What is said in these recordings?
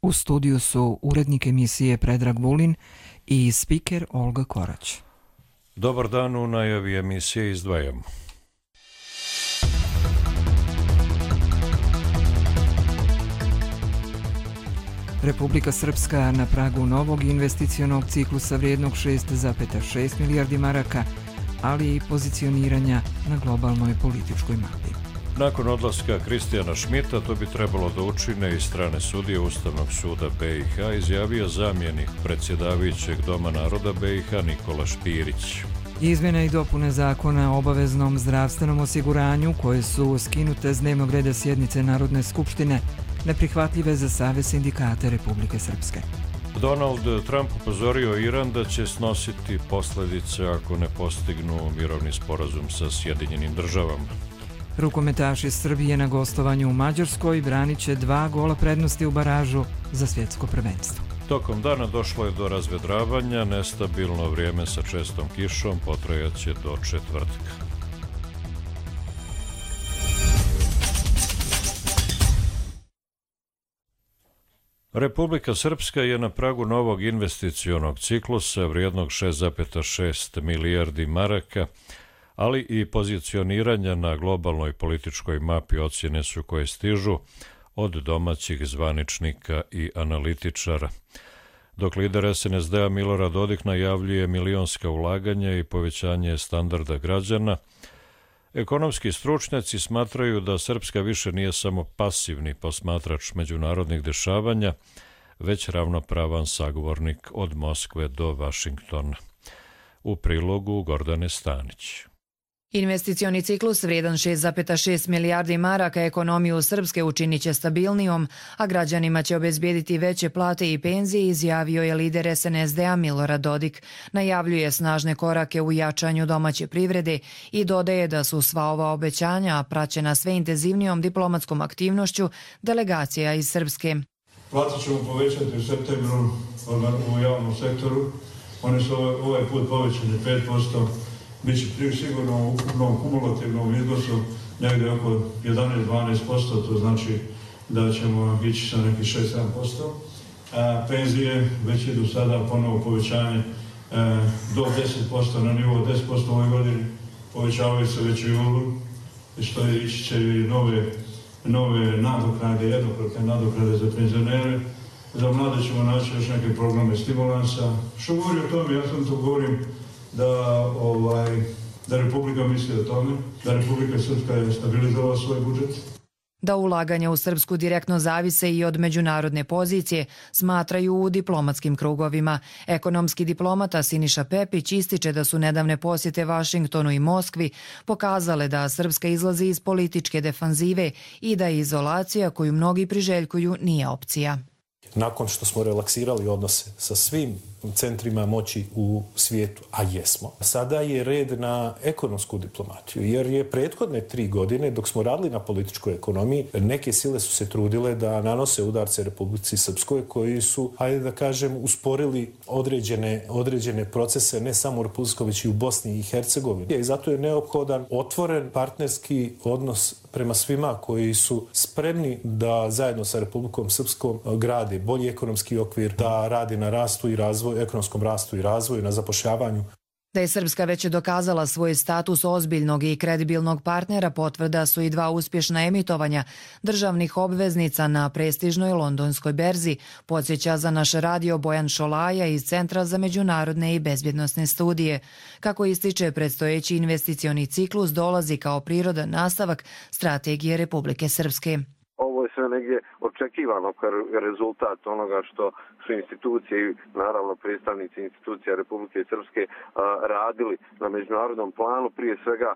U studiju su urednik emisije Predrag Vulin i spiker Olga Korać. Dobar dan, u najavi emisije izdvajamo. Republika Srpska na pragu novog investicionog ciklusa vrijednog 6,6 milijardi maraka, ali i pozicioniranja na globalnoj političkoj mapi. Nakon odlaska Kristijana Šmita, to bi trebalo da učine i strane sudije Ustavnog suda BiH, izjavio zamjenik predsjedavajućeg Doma naroda BiH Nikola Špirić. Izmjene i dopune zakona o obaveznom zdravstvenom osiguranju, koje su skinute s dnevnog reda sjednice Narodne skupštine, neprihvatljive za Savez sindikata Republike Srpske. Donald Trump upozorio Iran da će snositi posljedice ako ne postignu mirovni sporazum sa Sjedinjenim državama. Rukometaši Srbije na gostovanju u Mađarskoj branit će 2 gola prednosti u baražu za svjetsko prvenstvo. Tokom dana došlo je do razvedravanja, nestabilno vrijeme sa čestom kišom potrajaće do četvrtka. Republika Srpska je na pragu novog investicionog ciklusa vrijednog 6,6 milijardi maraka, ali i pozicioniranja na globalnoj političkoj mapi ocjene su koje stižu od domaćih zvaničnika i analitičara. Dok lider SNSD-a Milorad Dodik najavljuje milionska ulaganja i povećanje standarda građana, ekonomski stručnjaci smatraju da Srpska više nije samo pasivni posmatrač međunarodnih dešavanja, već ravnopravan sagovornik od Moskve do Vašingtona. U prilogu Gordane Stanić. Investicioni ciklus vrijedan 6,6 milijardi maraka ekonomiju Srpske učinit će stabilnijom, a građanima će obezbijediti veće plate i penzije, izjavio je lider SNSD-a Milorad Dodik. Najavljuje snažne korake u jačanju domaće privrede i dodaje da su sva ova obećanja praćena sve intenzivnijom diplomatskom aktivnošću delegacija iz Srpske. Plate ćemo povećati u septembru u javnom sektoru. One su ovaj put povećane 5%. Biće sigurno u ukupnom kumulativnom iznosu negdje oko 11-12%, to znači da ćemo ići sa nekih 6-7%. Penzije već idu sada ponovo povećanje do 10%, na nivou 10% u ovoj godini, povećavaju se već i julu, što ići će i nove nadoknade, jednokratne nadoknade za penzionere. Za mlade ćemo naći još neke programe stimulansa. Što govori o tome, ja sam to govorim da Republika misli o tome, da Republika Srpska je stabilizovala svoj budžet. Da ulaganja u Srpsku direktno zavise i od međunarodne pozicije, smatraju u diplomatskim krugovima. Ekonomski diplomata Siniša Pepić ističe da su nedavne posjete Vašingtonu i Moskvi pokazale da Srpska izlazi iz političke defanzive i da izolacija koju mnogi priželjkuju nije opcija. Nakon što smo relaksirali odnose sa svim centrima moći u svijetu, a jesmo, sada je red na ekonomsku diplomatiju, jer je prethodne 3 godine, dok smo radili na političkoj ekonomiji, neke sile su se trudile da nanose udarce Republici Srpskoj koji su, hajde da kažem, usporili određene procese ne samo u Republici, već i u Bosni i Hercegovini. I zato je neophodan otvoren partnerski odnos prema svima koji su spremni da zajedno sa Republikom Srpskom grade bolji ekonomski okvir, da radi na rastu i razvoju, ekonomskom rastu i razvoju, na zapošljavanju. Da je Srpska već dokazala svoj status ozbiljnog i kredibilnog partnera potvrda su i 2 uspješna emitovanja državnih obveznica na prestižnoj londonskoj berzi, podsjeća za naš radio Bojan Šolaja iz Centra za međunarodne i bezbjednosne studije. Kako ističe, predstojeći investicioni ciklus dolazi kao prirodan nastavak strategije Republike Srpske. Ovo je sve negdje očekivano kao rezultat onoga što su institucije i naravno predstavnici institucija Republike Srpske radili na međunarodnom planu. Prije svega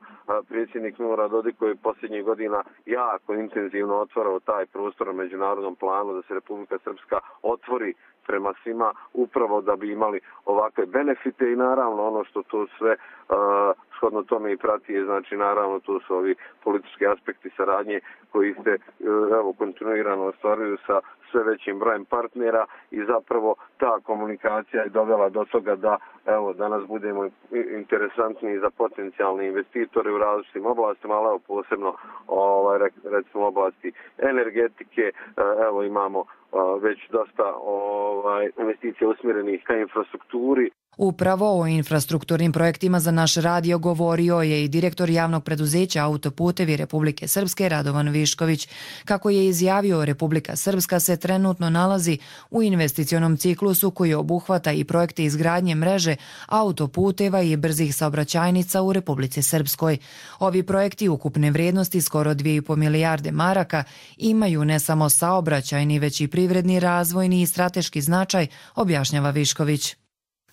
predsjednik Milorad Dodik koji je posljednjih godina jako intenzivno otvarao taj prostor na međunarodnom planu da se Republika Srpska otvori prema svima upravo da bi imali ovakve benefite i naravno ono što to sve shodno tome i prati je, znači naravno tu su ovi politički aspekti saradnje koji se kontinuirano ostvaruju sa sve većim brojem partnera i zapravo ta komunikacija je dovela do toga da evo danas budemo interesantni za potencijalne investitore u različitim oblastima, ali evo posebno recimo oblasti energetike, evo imamo već dosta investicija usmjerenih ka infrastrukturi. Upravo o infrastrukturnim projektima za naš radio govorio je i direktor javnog preduzeća Autoputevi Republike Srpske Radovan Višković. Kako je izjavio, Republika Srpska se trenutno nalazi u investicionom ciklusu koji obuhvata i projekte izgradnje mreže autoputeva i brzih saobraćajnica u Republici Srpskoj. Ovi projekti ukupne vrijednosti skoro 2,5 milijarde maraka imaju ne samo saobraćajni, već i privredni, razvojni i strateški značaj, objašnjava Višković.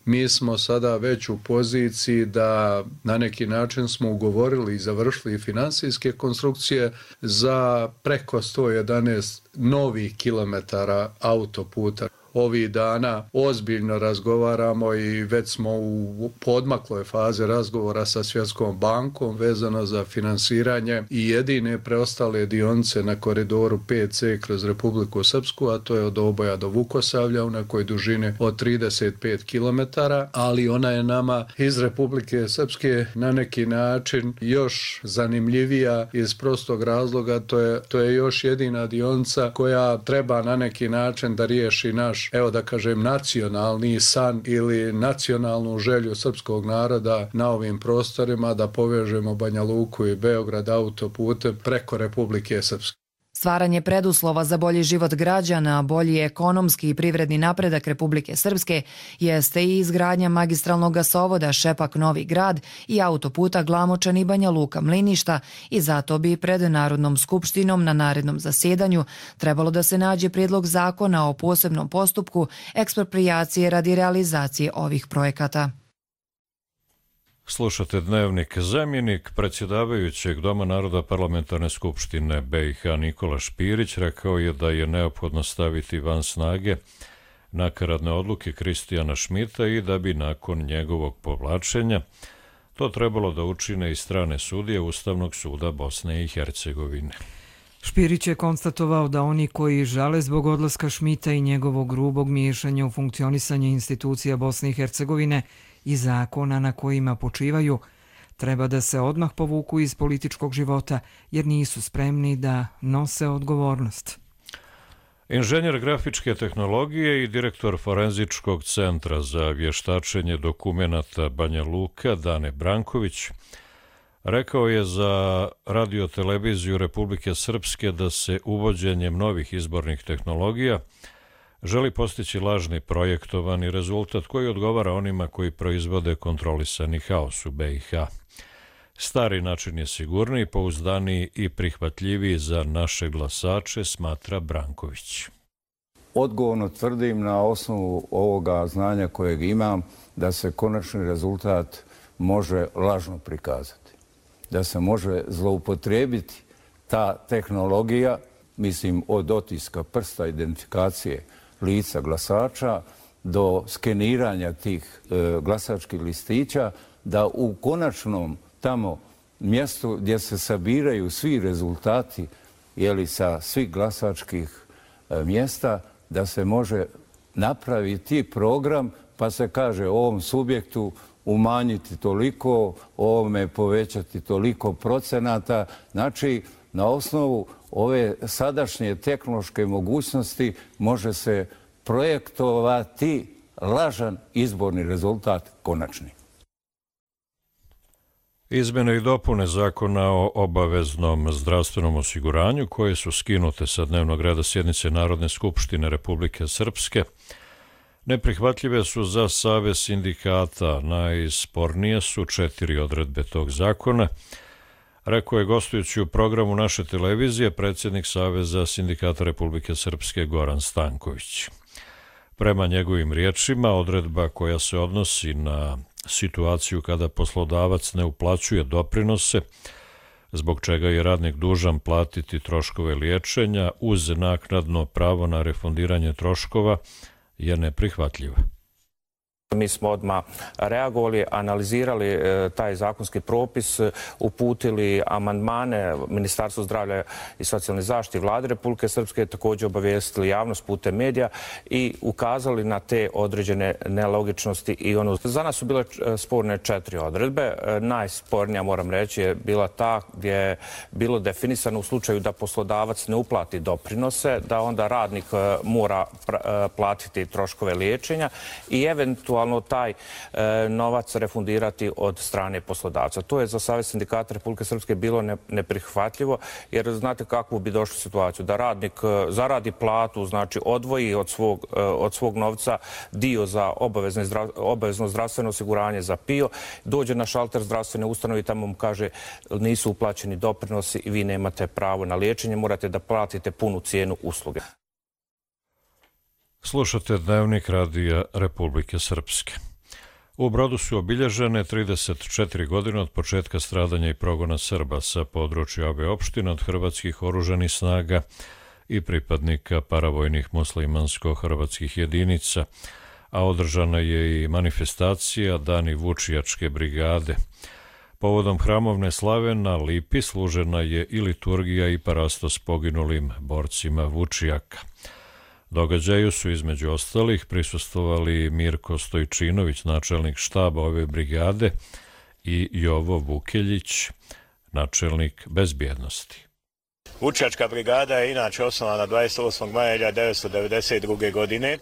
Mi smo sada već u poziciji da na neki način smo ugovorili i završili finansijske konstrukcije za preko 111 novih kilometara autoputa. Ovih dana ozbiljno razgovaramo i već smo u podmakloj fazi razgovora sa Svjetskom bankom vezano za finansiranje i jedine preostale dionice na koridoru 5C kroz Republiku Srpsku, a to je od Oboja do Vukosavlja u nekoj dužini od 35 km, ali ona je nama iz Republike Srpske na neki način još zanimljivija iz prostog razloga, to je još jedina dionica koja treba na neki način da riješi naš, evo da kažem, nacionalni san ili nacionalnu želju srpskog naroda na ovim prostorima da povežemo Banja Luku i Beograd autoputem preko Republike Srpske. Stvaranje preduslova za bolji život građana, bolji ekonomski i privredni napredak Republike Srpske jeste i izgradnja magistralnog gasovoda Šepak-Novi Grad i autoputa Glamočani Banja Luka-Mliništa i zato bi pred Narodnom skupštinom na narednom zasedanju trebalo da se nađe prijedlog zakona o posebnom postupku eksproprijacije radi realizacije ovih projekata. Slušate Dnevnik. Zamjenik predsjedavajućeg Doma naroda Parlamentarne skupštine BiH Nikola Špirić rekao je da je neophodno staviti van snage nakaradne odluke Kristijana Šmita i da bi nakon njegovog povlačenja to trebalo da učine i strane sudije Ustavnog suda Bosne i Hercegovine. Špirić je konstatovao da oni koji žale zbog odlaska Šmita i njegovog grubog miješanja u funkcionisanje institucija Bosne i Hercegovine i zakona na kojima počivaju, treba da se odmah povuku iz političkog života jer nisu spremni da nose odgovornost. Inženjer grafičke tehnologije i direktor Forenzičkog centra za vještačenje dokumenata Banja Luka Dane Branković rekao je za Radio-televiziju Republike Srpske da se uvođenjem novih izbornih tehnologija želi postići lažni projektovani rezultat koji odgovara onima koji proizvode kontrolisani haos u BiH. Stari način je sigurniji, pouzdaniji i prihvatljiviji za naše glasače, smatra Branković. Odgovorno tvrdim na osnovu ovoga znanja kojeg imam da se konačni rezultat može lažno prikazati. Da se može zloupotrijebiti ta tehnologija, mislim od otiska prsta, identifikacije lica glasača do skeniranja tih glasačkih listića, da u konačnom tamo mjestu gdje se sabiraju svi rezultati sa svih glasačkih mjesta, da se može napraviti program pa se kaže ovom subjektu umanjiti toliko, ovome povećati toliko procenata. Znači, na osnovu ove sadašnje tehnološke mogućnosti može se projektovati lažan izborni rezultat konačni. Izmjene i dopune Zakona o obaveznom zdravstvenom osiguranju koje su skinute sa dnevnog reda sjednice Narodne skupštine Republike Srpske neprihvatljive su za Savez sindikata. Najspornije su 4 odredbe tog zakona, rekao je gostujući u programu naše televizije predsjednik Saveza sindikata Republike Srpske Goran Stanković. Prema njegovim riječima, odredba koja se odnosi na situaciju kada poslodavac ne uplaćuje doprinose, zbog čega je radnik dužan platiti troškove liječenja uz naknadno pravo na refundiranje troškova, je neprihvatljiva. Mi smo odmah reagovali, analizirali taj zakonski propis, uputili amandmane Ministarstvu zdravlja i socijalne zaštite Vlade Republike Srpske, također obavijestili javnost putem medija i ukazali na te određene nelogičnosti. Za nas su bile sporne 4 odredbe. Najspornija, moram reći, je bila ta gdje je bilo definisano u slučaju da poslodavac ne uplati doprinose, da onda radnik mora platiti troškove liječenja i eventualno taj novac refundirati od strane poslodavca. To je za Savez sindikata Republike Srpske bilo neprihvatljivo, jer znate kakvu bi došli situaciju. Da radnik zaradi platu, znači odvoji od svog novca dio za obavezno zdravstveno osiguranje za PIO, dođe na šalter zdravstvene ustanove i tamo mu kaže nisu uplaćeni doprinosi i vi nemate pravo na liječenje, morate da platite punu cijenu usluge. Slušate Dnevnik Radija Republike Srpske. U Brodu su obilježene 34 godine od početka stradanja i progona Srba sa područja ove opštine od hrvatskih oružanih snaga i pripadnika paravojnih muslimansko-hrvatskih jedinica, a održana je i manifestacija Dani Vučijačke brigade. Povodom hramovne slave na Lipi služena je i liturgija i parastos poginulim borcima Vučijaka. Događaju su između ostalih prisustvovali Mirko Stojčinović, načelnik štaba ove brigade, i Jovo Vukeljić, načelnik bezbjednosti. Vučijačka brigada je inače osnovana 28. maja 1992. godine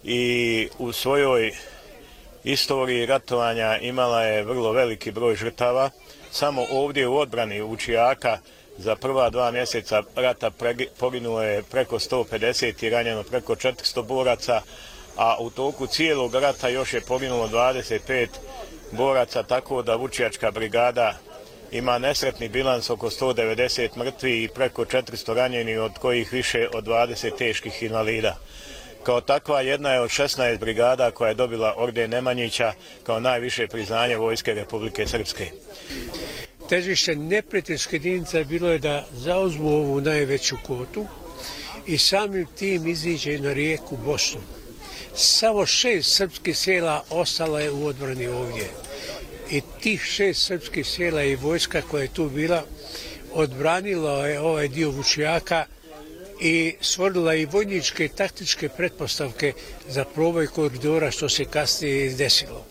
i u svojoj istoriji ratovanja imala je vrlo veliki broj žrtava. Samo ovdje u odbrani Vučijaka za prva 2 mjeseca rata poginulo je preko 150 i ranjeno preko 400 boraca, a u toku cijelog rata još je poginulo 25 boraca, tako da Vučijačka brigada ima nesretni bilans oko 190 mrtvih i preko 400 ranjenih, od kojih više od 20 teških invalida. Kao takva jedna je od 16 brigada koja je dobila orden Nemanjića kao najviše priznanje Vojske Republike Srpske. Težište neprijateljske jedinice bilo je da zauzmu ovu najveću kotu i samim tim iziđe na rijeku Bosnu. Samo 6 srpskih sela ostala je u odbrani ovdje. I tih 6 srpskih sela i vojska koja je tu bila odbranila je ovaj dio Vučijaka i stvorila i vojničke i taktičke pretpostavke za proboj koridora, što se kasnije desilo.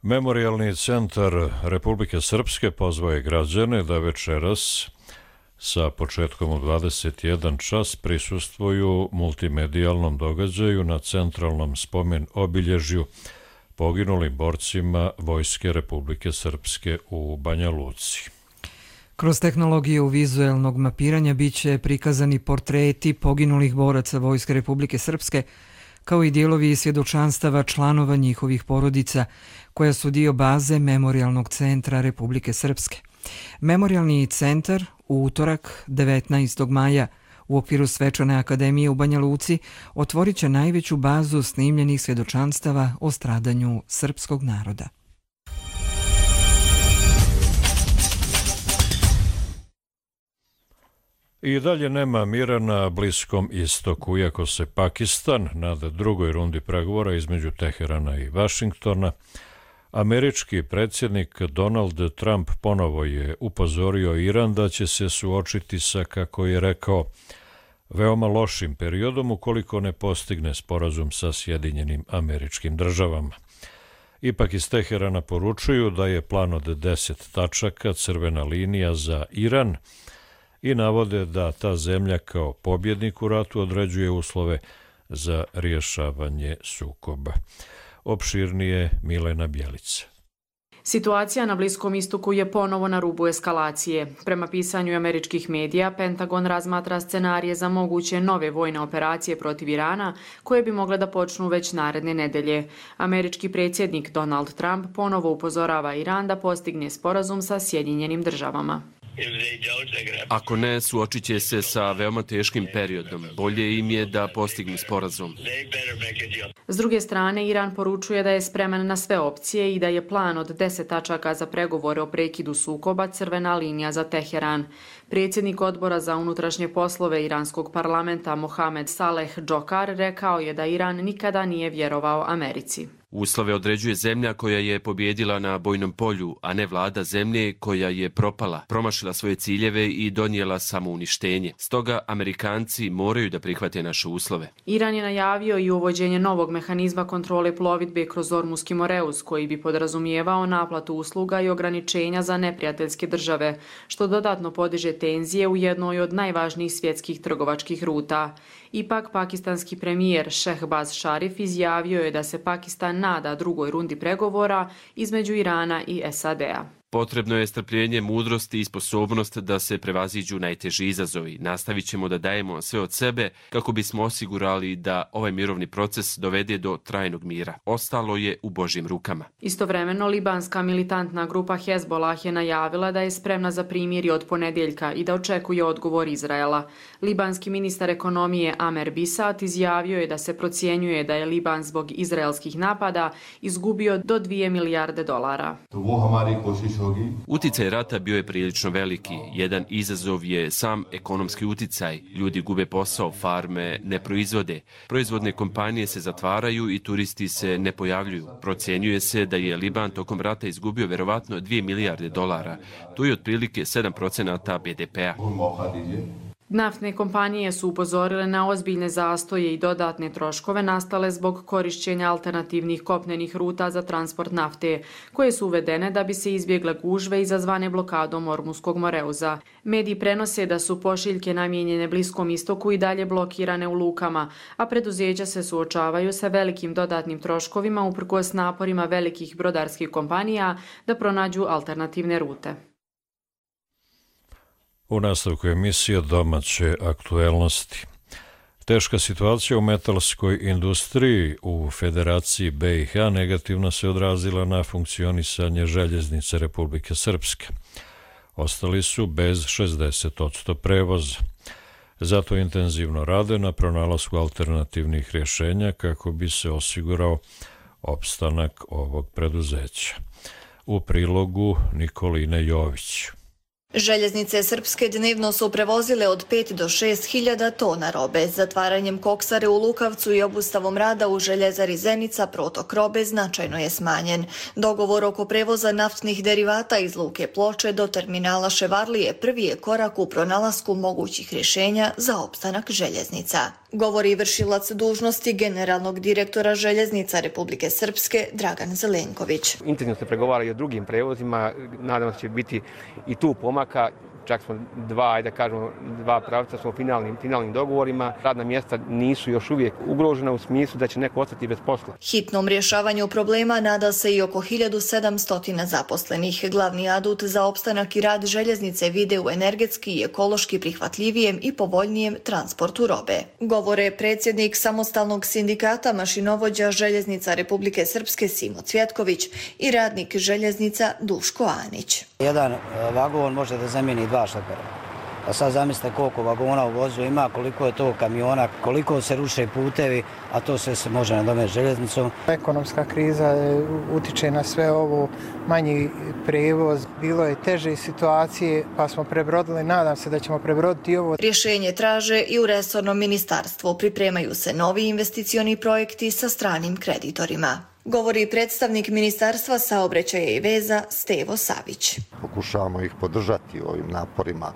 Memorijalni centar Republike Srpske pozvao je građane da večeras sa početkom u 21 čas prisustvuju multimedijalnom događaju na centralnom spomen obilježju poginulim borcima Vojske Republike Srpske u Banja Luci. Kroz tehnologiju vizuelnog mapiranja biće prikazani portreti poginulih boraca Vojske Republike Srpske, kao i dijelovi svjedočanstava članova njihovih porodica, koja su dio baze Memorijalnog centra Republike Srpske. Memorijalni centar u utorak 19. maja u okviru Svečane akademije u Banja Luci otvorit će najveću bazu snimljenih svjedočanstava o stradanju srpskog naroda. I dalje nema mira na Bliskom istoku, iako se Pakistan nada drugoj rundi pregovora između Teherana i Vašingtona. Američki predsjednik Donald Trump ponovo je upozorio Iran da će se suočiti sa, kako je rekao, veoma lošim periodom ukoliko ne postigne sporazum sa Sjedinjenim Američkim Državama. Ipak iz Teherana poručuju da je plan od 10 tačaka crvena linija za Iran i navode da ta zemlja kao pobjednik u ratu određuje uslove za rješavanje sukoba. Opširnije Milena Bjelica. Situacija na Bliskom istoku je ponovo na rubu eskalacije. Prema pisanju američkih medija, Pentagon razmatra scenarije za moguće nove vojne operacije protiv Irana, koje bi mogle da počnu već naredne nedelje. Američki predsjednik Donald Trump ponovo upozorava Iran da postigne sporazum sa Sjedinjenim Državama. Ako ne, suočit će se sa veoma teškim periodom. Bolje im je da postignu sporazum. S druge strane, Iran poručuje da je spreman na sve opcije i da je plan od 10 tačaka za pregovore o prekidu sukoba crvena linija za Teheran. Predsjednik odbora za unutrašnje poslove iranskog parlamenta Mohamed Saleh Džokar rekao je da Iran nikada nije vjerovao Americi. Uslove određuje zemlja koja je pobjedila na bojnom polju, a ne vlada zemlje koja je propala, promašila svoje ciljeve i donijela samouništenje. Stoga Amerikanci moraju da prihvate naše uslove. Iran je najavio i uvođenje novog mehanizma kontrole plovidbe kroz Ormuski Moreus, koji bi podrazumijevao naplatu usluga i ograničenja za neprijateljske države, što dodatno podiže tenzije u jednoj od najvažnijih svjetskih trgovačkih ruta. Ipak, pakistanski premijer Shehbaz Sharif izjavio je da se Pakistan nada drugoj rundi pregovora između Irana i SAD-a. Potrebno je strpljenje, mudrost i sposobnost da se prevaziđu najteži izazovi. Nastavit ćemo da dajemo sve od sebe kako bismo osigurali da ovaj mirovni proces dovede do trajnog mira. Ostalo je u Božjim rukama. Istovremeno, libanska militantna grupa Hezbollah je najavila da je spremna za primirje od ponedjeljka i da očekuje odgovor Izraela. Libanski ministar ekonomije Amer Bisat izjavio je da se procjenjuje da je Liban zbog izraelskih napada izgubio do $2 milijarde. Uticaj rata bio je prilično veliki. Jedan izazov je sam ekonomski uticaj. Ljudi gube posao, farme ne proizvode. Proizvodne kompanije se zatvaraju i turisti se ne pojavljuju. Procjenjuje se da je Liban tokom rata izgubio verovatno $2 milijarde. To je otprilike 7% BDP-a. Naftne kompanije su upozorile na ozbiljne zastoje i dodatne troškove nastale zbog korišćenja alternativnih kopnenih ruta za transport nafte, koje su uvedene da bi se izbjegle gužve izazvane blokadom Ormuskog Moreuza. Mediji prenose da su pošiljke namijenjene Bliskom istoku i dalje blokirane u lukama, a preduzeća se suočavaju sa velikim dodatnim troškovima uprkos naporima velikih brodarskih kompanija da pronađu alternativne rute. U nastavku emisije domaće aktuelnosti. Teška situacija u metalskoj industriji u Federaciji BiH negativno se odrazila na funkcionisanje željeznice Republike Srpske. Ostali su bez 60% prevoza. Zato intenzivno rade na pronalasku alternativnih rješenja kako bi se osigurao opstanak ovog preduzeća. U prilogu Nikoline Jović. Željeznice Srpske dnevno su prevozile od 5 do 6 hiljada tona robe. Zatvaranjem koksare u Lukavcu i obustavom rada u željezari Zenica protok robe značajno je smanjen. Dogovor oko prevoza naftnih derivata iz Luke Ploče do terminala Ševarlije prvi je korak u pronalasku mogućih rješenja za opstanak željeznica. Govori vršilac dužnosti generalnog direktora Željeznica Republike Srpske Dragan Zelenković. Intenzivno se pregovara i o drugim prevozima, nadam se će biti i tu pomaka. Čak smo dva pravca smo u finalnim dogovorima. Radna mjesta nisu još uvijek ugrožena u smislu da će neko ostati bez posla. Hitnom rješavanju problema nada se i oko 1700 zaposlenih. Glavni adut za opstanak i rad željeznice vide u energetski i ekološki prihvatljivijem i povoljnijem transportu robe. Govore predsjednik samostalnog sindikata mašinovođa Željeznica Republike Srpske Simo Cvjetković i radnik željeznica Duško Anić. Jedan vagon može da zamijeni 2 šlepera. A sad zamislite koliko vagona u vozu ima, koliko je to kamiona, koliko se ruše putevi, a to sve se može nadomestiti željeznicom. Ekonomska kriza utiče na sve ovo, manji prevoz, bilo je teže situacije pa smo prebrodili, nadam se da ćemo prebroditi ovo. Rješenje traže i u resornom ministarstvu, pripremaju se novi investicioni projekti sa stranim kreditorima. Govori predstavnik Ministarstva saobraćaja i veza Stevo Savić. Pokušavamo ih podržati u ovim naporima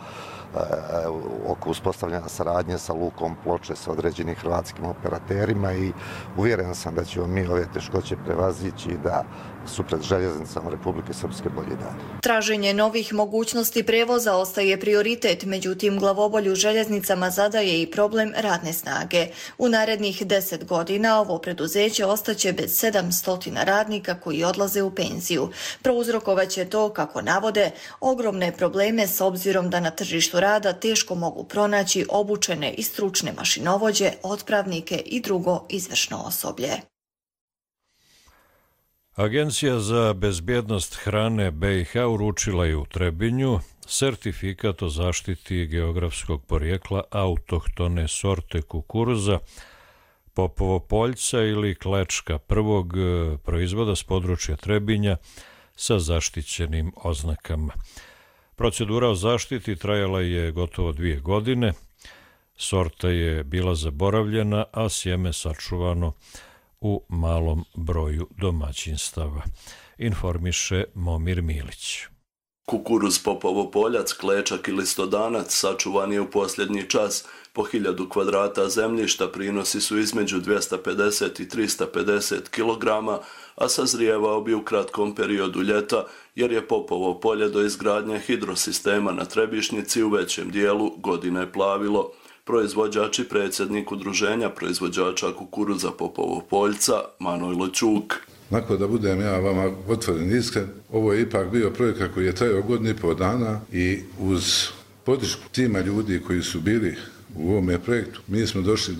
oko uspostavljanja saradnje sa Lukom Ploče, sa određenim hrvatskim operaterima i uvjeren sam da ćemo mi ove teškoće prevazići i da su pred željeznicama Republike Srpske bolji dani. Traženje novih mogućnosti prevoza ostaje prioritet, međutim glavobolju željeznicama zadaje i problem radne snage. U narednih 10 godina ovo preduzeće ostaće bez 700 radnika koji odlaze u penziju. Prouzrokovaće to, kako navode, ogromne probleme s obzirom da na tržištu rada teško mogu pronaći obučene i stručne mašinovođe, otpravnike i drugo izvršno osoblje. Agencija za bezbjednost hrane BiH uručila je u Trebinju sertifikat o zaštiti geografskog porijekla autohtone sorte kukuruza Popovo poljca ili klečka, prvog proizvoda s područja Trebinja sa zaštićenim oznakama. Procedura o zaštiti trajala je gotovo 2 godine, sorta je bila zaboravljena, a sjeme sačuvano u malom broju domaćinstava, informiše Momir Milić. Kukuruz Popovo poljac, klečak ili stodanac sačuvan je u posljednji čas. Po 1000 kvadrata zemljišta prinosi su između 250 i 350 kg, a sazrijevao bi u kratkom periodu ljeta, jer je Popovo polje do izgradnje hidrosistema na Trebišnjici u većem dijelu godine plavilo. Proizvođač i predsjednik udruženja proizvođača kukuruza Popovo poljca, Manojlo Ćuk. Nakon da budem ja vama otvoren iskren, ovo je ipak bio projekat koji je trajao 1,5 dana i uz podršku tima ljudi koji su bili u ovome projektu, mi smo došli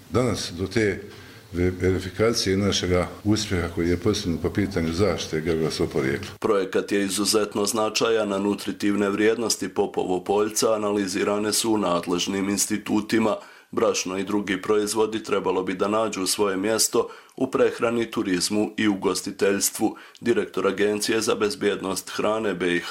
danas do te verifikacije našega uspjeha koji je postignut po pitanju zaštite geografskog porijekla. Projekat je izuzetno značajan, a nutritivne vrijednosti Popovo poljca analizirane su u nadležnim institutima. Brašno i drugi proizvodi trebalo bi da nađu svoje mjesto u prehrani, turizmu i ugostiteljstvu. Direktor Agencije za bezbjednost hrane BiH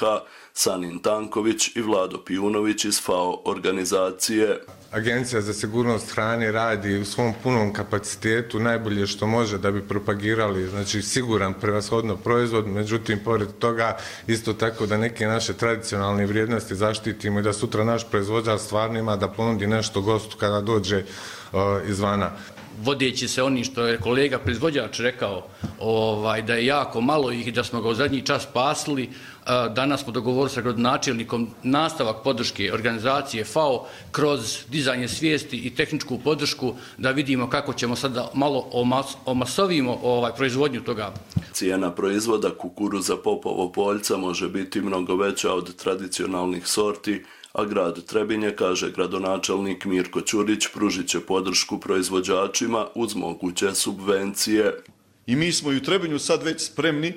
Sanin Tanković i Vlado Pijunović iz FAO organizacije. Agencija za sigurnost hrane radi u svom punom kapacitetu najbolje što može da bi propagirali, znači, siguran prevashodno proizvod, međutim, pored toga isto tako da neke naše tradicionalne vrijednosti zaštitimo i da sutra naš proizvođač stvarno ima da ponudi nešto gostu kada dođe izvana. Vodeći se onim što je kolega proizvođač rekao, da je jako malo ih i da smo ga u zadnji čas spasili, danas smo dogovorili sa gradonačelnikom nastavak podrške organizacije FAO kroz dizanje svijesti i tehničku podršku da vidimo kako ćemo sada malo omasovimo proizvodnju toga. Cijena proizvoda kukuruza Popovo poljca može biti mnogo veća od tradicionalnih sorti, a grad Trebinje, kaže gradonačelnik Mirko Ćurić, pružit će podršku proizvođačima uz moguće subvencije. I mi smo i u Trebinju sad već spremni,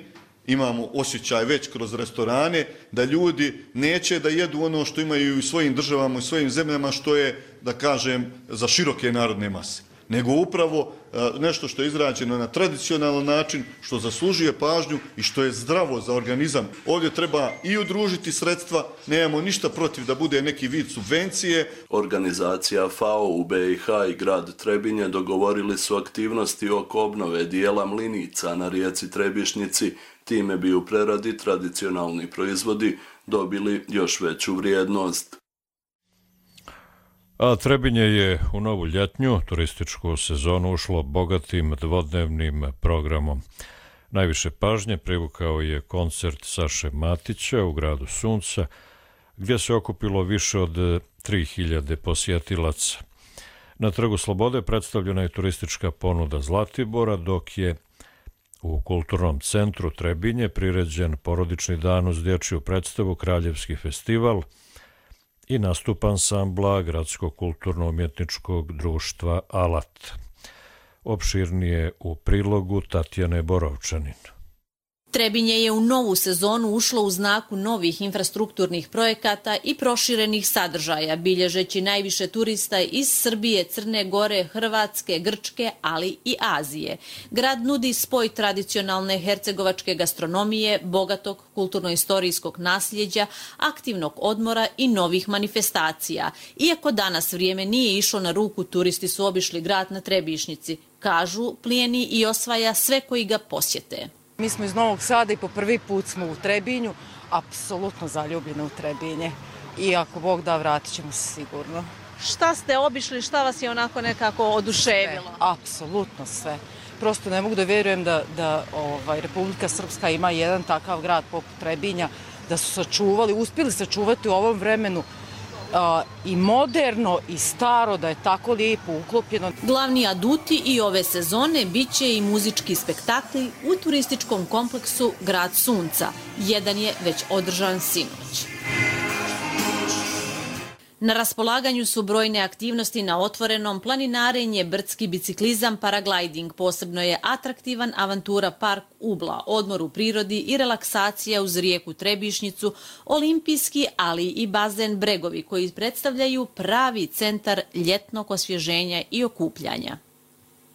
imamo osjećaj već kroz restorane, da ljudi neće da jedu ono što imaju u svojim državama i svojim zemljama, što je, da kažem, za široke narodne mase, nego upravo nešto što je izrađeno na tradicionalan način, što zaslužuje pažnju i što je zdravo za organizam. Ovdje treba i udružiti sredstva, nemamo ništa protiv da bude neki vid subvencije. Organizacija FAO u BiH i grad Trebinje dogovorili su aktivnosti oko obnove dijela mlinica na rijeci Trebišnjici, time bi u preradi tradicionalni proizvodi dobili još veću vrijednost. A Trebinje je u novu ljetnju turističku sezonu ušlo bogatim dvodnevnim programom. Najviše pažnje privukao je koncert Saše Matića u gradu Sunca, gdje se okupilo više od 3000 posjetilaca. Na Trgu Slobode predstavljena je turistička ponuda Zlatibora, dok je u Kulturnom centru Trebinje priređen porodični dan uz dječju predstavu Kraljevski festival i nastup ansambla Gradskog kulturno-umjetničkog društva Alat. Opširnije u prilogu Tatjane Borovčanin. Trebinje je u novu sezonu ušlo u znaku novih infrastrukturnih projekata i proširenih sadržaja, bilježeći najviše turista iz Srbije, Crne Gore, Hrvatske, Grčke, ali i Azije. Grad nudi spoj tradicionalne hercegovačke gastronomije, bogatog kulturno-istorijskog nasljeđa, aktivnog odmora i novih manifestacija. Iako danas vrijeme nije išlo na ruku, turisti su obišli grad na Trebišnjici. Kažu, plijeni i osvaja sve koji ga posjete. Mi smo iz Novog Sada i po prvi put smo u Trebinju, apsolutno zaljubljene u Trebinje. I ako Bog da, vratit ćemo se sigurno. Šta ste obišli, šta vas je onako nekako oduševilo? Sve, apsolutno sve. Prosto ne mogu da vjerujem da Republika Srpska ima jedan takav grad poput Trebinja, da su sačuvali, uspjeli sačuvati u ovom vremenu i moderno i staro, da je tako lijepo uklopljeno. Glavni aduti i ove sezone bit će i muzički spektakli u turističkom kompleksu Grad Sunca. Jedan je već održan sinoć. Na raspolaganju su brojne aktivnosti na otvorenom, planinarenje, brdski biciklizam, paragliding. Posebno je atraktivan avantura park Ubla, odmor u prirodi i relaksacija uz rijeku Trebišnjicu, olimpijski, ali i bazen Bregovi, koji predstavljaju pravi centar ljetnog osvježenja i okupljanja.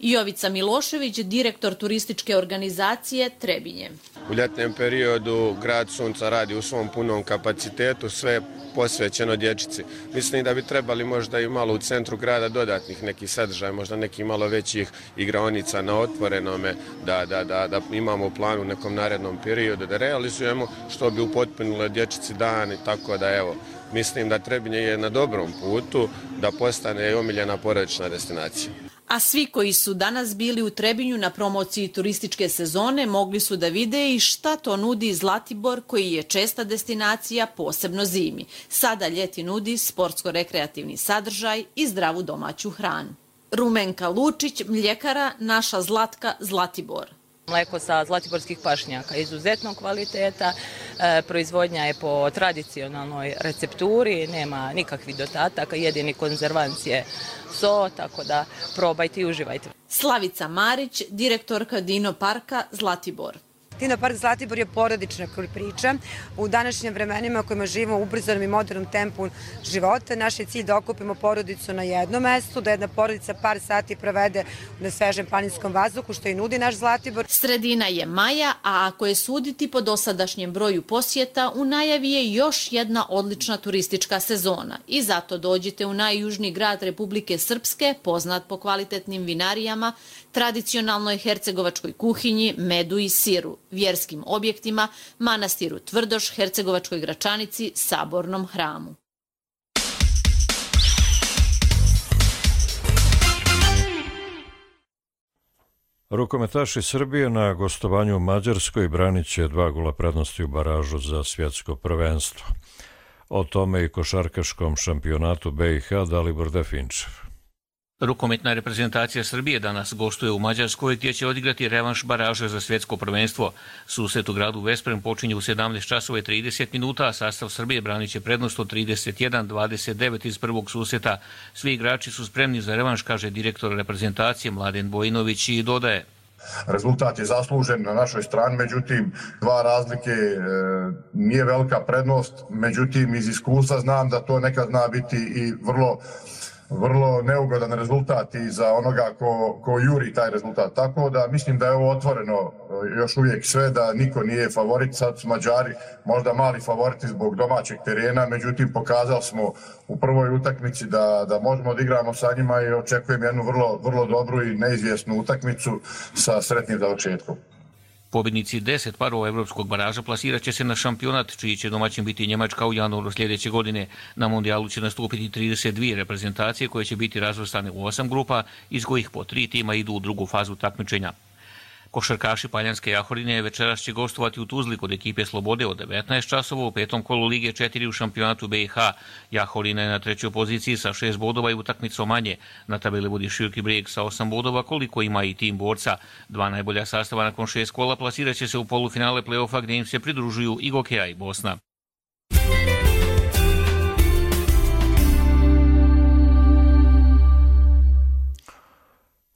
Jovica Milošević, direktor turističke organizacije Trebinje. U ljetnem periodu grad Sunca radi u svom punom kapacitetu, sve posvećeno dječici. Mislim da bi trebali možda i malo u centru grada dodatnih nekih sadržaja, možda nekih malo većih igraonica na otvorenome, da imamo u planu u nekom narednom periodu da realizujemo, što bi upotpunilo dječici dan i tako da evo. Mislim da Trebinje je na dobrom putu da postane omiljena porodična destinacija. A svi koji su danas bili u Trebinju na promociji turističke sezone mogli su da vide i šta to nudi Zlatibor, koji je česta destinacija, posebno zimi. Sada ljeti nudi sportsko-rekreativni sadržaj i zdravu domaću hranu. Rumenka Lučić, mljekara Naša Zlatka, Zlatibor. Mleko sa zlatiborskih pašnjaka, izuzetnog kvaliteta, proizvodnja je po tradicionalnoj recepturi, nema nikakvih dodataka, jedini konzervans je so, tako da probajte i uživajte. Slavica Marić, direktorka Dino Parka Zlatibor. Dino Park Zlatibor je porodična priča. U današnjim vremenima kojima živimo u ubrzanom i modernom tempu života, naš je cilj da okupimo porodicu na jednom mestu, da jedna porodica par sati provede na svežem planinskom vazduhu, što i nudi naš Zlatibor. Sredina je maja, a ako je suditi po dosadašnjem broju posjeta, u najavi je još jedna odlična turistička sezona. I zato dođite u najjužniji grad Republike Srpske, poznat po kvalitetnim vinarijama, tradicionalnoj hercegovačkoj kuhinji, medu i siru, vjerskim objektima, manastiru Tvrdoš, Hercegovačkoj Gračanici, Sabornom hramu. Rukometaši Srbije na gostovanju u Mađarskoj branit će 2 gola prednosti u baražu za svjetsko prvenstvo. O tome i košarkaškom šampionatu BiH Dalibor Definčev. Rukometna reprezentacija Srbije danas gostuje u Mađarskoj gdje će odigrati revanš baraže za svjetsko prvenstvo. Susret u gradu Vesprem počinje u 17:30, a sastav Srbije branit će prednost od 31-29 iz prvog susreta. Svi igrači su spremni za revanš, kaže direktor reprezentacije Mladen Bojinović i dodaje. Rezultat je zaslužen na našoj strani, međutim, 2 razlike nije velika prednost, međutim, iz iskustva znam da to nekad zna biti i vrlo neugodan rezultat i za onoga ko juri taj rezultat. Tako da mislim da je ovo otvoreno još uvijek sve, da niko nije favorit. Sad su Mađari možda mali favoriti zbog domaćeg terena, međutim pokazali smo u prvoj utakmici da možemo da igramo sa njima i očekujem jednu vrlo dobru i neizvjesnu utakmicu sa sretnim završetkom. Pobjednici 10 parova evropskog baraža plasirat će se na šampionat, čiji će domaćin biti Njemačka u januaru sljedeće godine. Na mondijalu će nastupiti 32 reprezentacije koje će biti razvrstane u 8 grupa, iz kojih po 3 tima idu u drugu fazu takmičenja. Košarkaši Paljanske Jahorine večeras će gostovati u Tuzli kod ekipe Slobode od 19 časova u 5. kolu Lige 4 u šampionatu BiH. Jahorina je na 3. poziciji sa 6 bodova i utakmicom manje. Na tabeli vodi Široki Brijeg sa 8 bodova, koliko ima i tim borca. 2 najbolja sastava nakon 6 kola plasirat će se u polufinale play-offa gdje im se pridružuju i Gokeja i Bosna.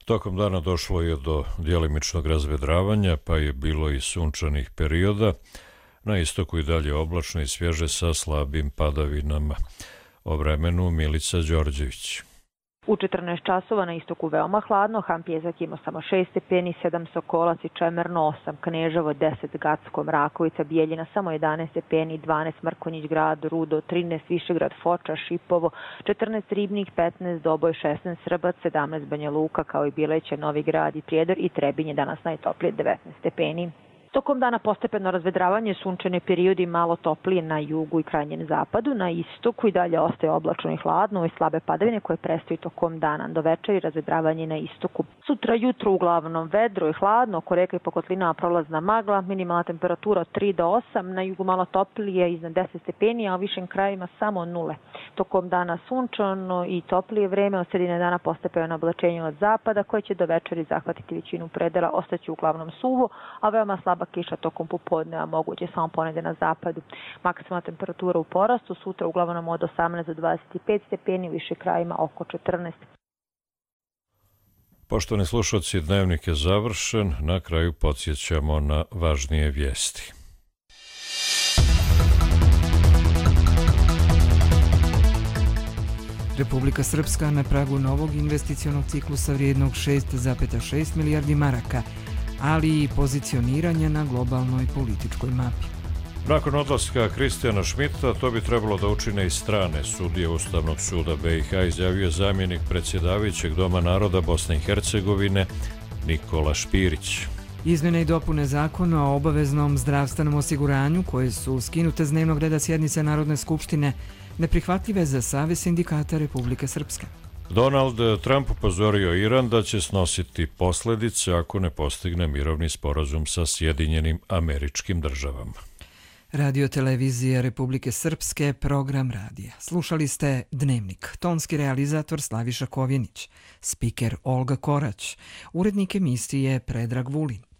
Tokom dana došlo je do djelimičnog razvedravanja, pa je bilo i sunčanih perioda. Na istoku i dalje oblačno i svježe sa slabim padavinama. O vremenu Milica Đorđević. U 14 časova na istoku veoma hladno, Han Pjezak ima samo 6 stepeni, 7 Sokolac i Čemerno 8, Kneževo 10, Gacko, Mrakovica, Bijeljina samo 11 stepeni, 12 Mrkonjić grad, Rudo 13, Višegrad, Foča, Šipovo, 14 Ribnik, 15 Doboj, 16 Srbac, 17 Banja Luka kao i Bileće, Novi Grad i Prijedor i Trebinje danas najtoplije 19 stepeni. Tokom dana postepeno razvedravanje, sunčane periodi malo toplije na jugu i krajnjem zapadu, na istoku i dalje ostaje oblačno i hladno i slabe padavine koje prestaju tokom dana. Do večeri razvedravanje na istoku. Sutra jutro uglavnom vedro i hladno, oko reka i po kotlinama prolazna magla, minimalna temperatura od 3 do 8, na jugu malo toplije iznad 10 stepeni, a u višim krajevima samo 0. Tokom dana sunčano i toplije vreme, od sredine dana postepeno oblačenje od zapada koje će do večeri zahvatiti većinu predela, ostaće uglavnom suvo, a veoma slaba slaba kiša tokom popodneva, moguće samo ponegde na zapadu. Maksimalna temperatura u porastu, sutra uglavnom od 18 do 25 stepeni, u više krajima oko 14. Poštovani slušalci, dnevnik je završen. Na kraju podsjećamo na važnije vijesti. Republika Srpska na pragu novog investicionog ciklusa vrijednog 6,6 milijardi maraka, ali i pozicioniranja na globalnoj političkoj mapi. Nakon odlaska Kristijana Šmita, to bi trebalo da učine i strane sudije Ustavnog suda BiH, izjavio je zamjenik predsjedavajućeg Doma naroda Bosne i Hercegovine Nikola Špirić. Izmjene i dopune zakona o obaveznom zdravstvenom osiguranju, koje su skinute s dnevnog reda sjednice Narodne skupštine, neprihvatljive za Savez sindikata Republike Srpske. Donald Trump upozorio Iran da će snositi posljedice ako ne postigne mirovni sporazum sa Sjedinjenim Američkim Državama. Radio televizija Republike Srpske, program radija. Slušali ste Dnevnik, tonski realizator Slaviša Kovjenić, spiker Olga Korać, urednik emisije Predrag Vulin.